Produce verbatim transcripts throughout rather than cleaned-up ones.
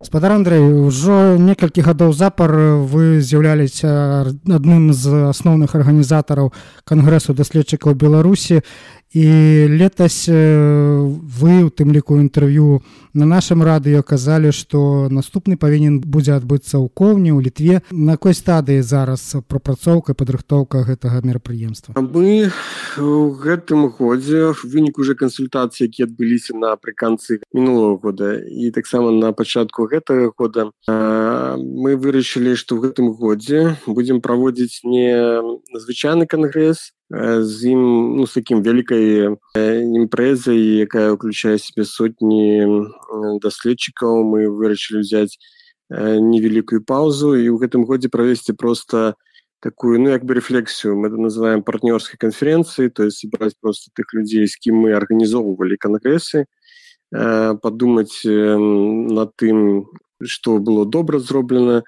Спадар Андрэй, ужо некалькі гадоў запар вы з'яўляліся адным з асноўных арганізатараў Кангрэсу даследчыкаў Беларусі, і летась вы, у тым ліку інтэрв'ю на нашым радыё, казалі, што наступны павінен будзе адбыцца ў Коўні, у Літве. На якой стадыі зараз прапрацоўка, падрыхтоўка гэтага мерапрыемства? Мы ў гэтым годзе, в выніку уже кансультацыі, якія адбыліся напрыканцы мінулого года і таксама на пачатку гэтага года, мы вырашылі, што ў гэтым годзе будзем праводзіць не звычайны кангрэс, з ім, ну, з такім вялікай імпрэзай, якая ўключае сябе сотні даследчыкаў. Мы вырашылі ўзяць невялікую паузу і ў гэтым годзе правесці проста такую, ну, як бы рефлексію. Мы это называем партнёрскай канферэнцыяй, то есть собрать просто тых людзей, з кім мы арганізоўвалі кангрэсы, падумаць над тым, што было добра зроблена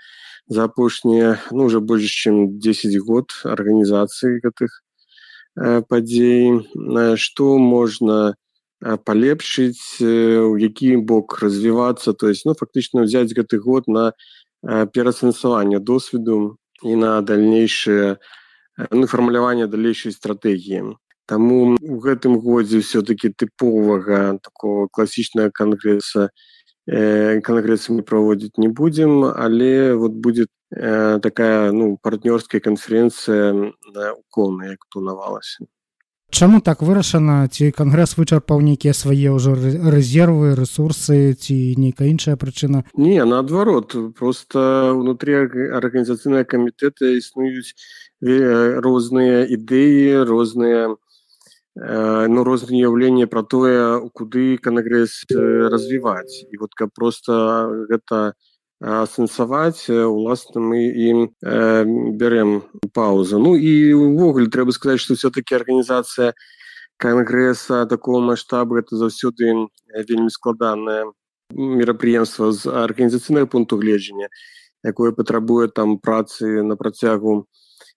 за апошнія, ну, уже больш чым дзесяць год арганізацыі гэтых падзей, што можна палепшыць, у які бок развівацца, то есть, ну, фактычна ўзяць гэты год на пераасэнсаванне досведу і на дальнейшее, ну, фармуляванне далейшай стратэгіі. Таму у гэтым годзе все-таки тыповага такого класічнага кангрэса кангрэса мы праводзіць не будзем, але вот будет э, такая, ну, партнёрская канферэнцыя ў Коўні, як планавалася. Чаму так вырашана? Ці кангрэс вычарпаў нейкія свае ўжо рэзервы, рэсурсы, ці нейкая іншая прычына? Не, наадварот, просто ўнутры арганізацыйнага камітэта існуюць розныя ідэі, розныя ну, розныя уяўленні пра тое, куды кангрэс развіваць. І вот каб проста гэта асэнсаваць, уласна, мы ім э, бярем паузу. Ну і ўвогуле трэба сказаць, што все-таки арганізацыя кангрэса такого маштабу гэта заўсёды вельмі складанае мерапрыемства з арганізацыйнага пункту гледжання, якое патрабуе там працы на працягу,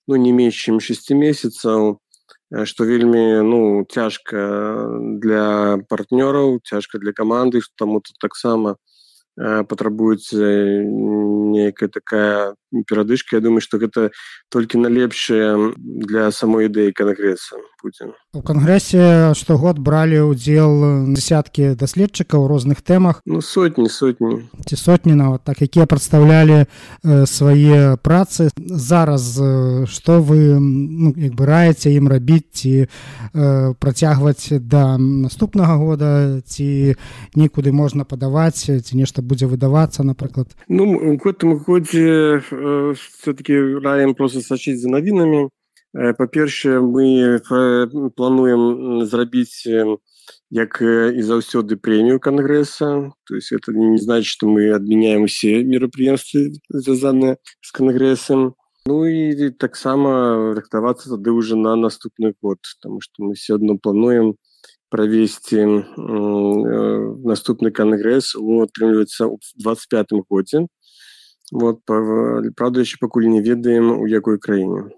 ну, не менш чым шэсці месяцаў, што вельмі, ну, цяжка для партнёраў, цяжка для каманды, што таму тут таксама патрабуецца нейкая такая перадышка. Я думаю, што гэта толькі налепшае для самой ідэі кангрэса будзе. У кангрэсе штогод бралі ўдзел дзесяткі даследчыкаў у розных тэмах. Ну, сотні, сотні. Ці сотні нават, так, якія прадстаўлялі э, свае працы. Зараз э, што вы, ну, як бы раеце ім рабіць, ці э, працягваць да наступнага года, ці нікуды можна падаваць, ці нешта будзе выдавацца, напрыклад? Ну, у гэтым годзе э, все-таки раем просто сачыць за навінамі. Па-першае, мы плануем зрабіць, як і заўсёды, прэмію кангрэса. То есть это не значит, что мы адмяняем усе мерапрыемствы, звязаныя з кангрэсам. Ну і таксама рыхтавацца тады ўжо на наступны год, потому что мы все адно плануем правесці э, наступны кангрэс, атрымліваецца, у двадцать пятым годзе. Вот, правда, яшчэ пакуль не ведаем, у якой краіне.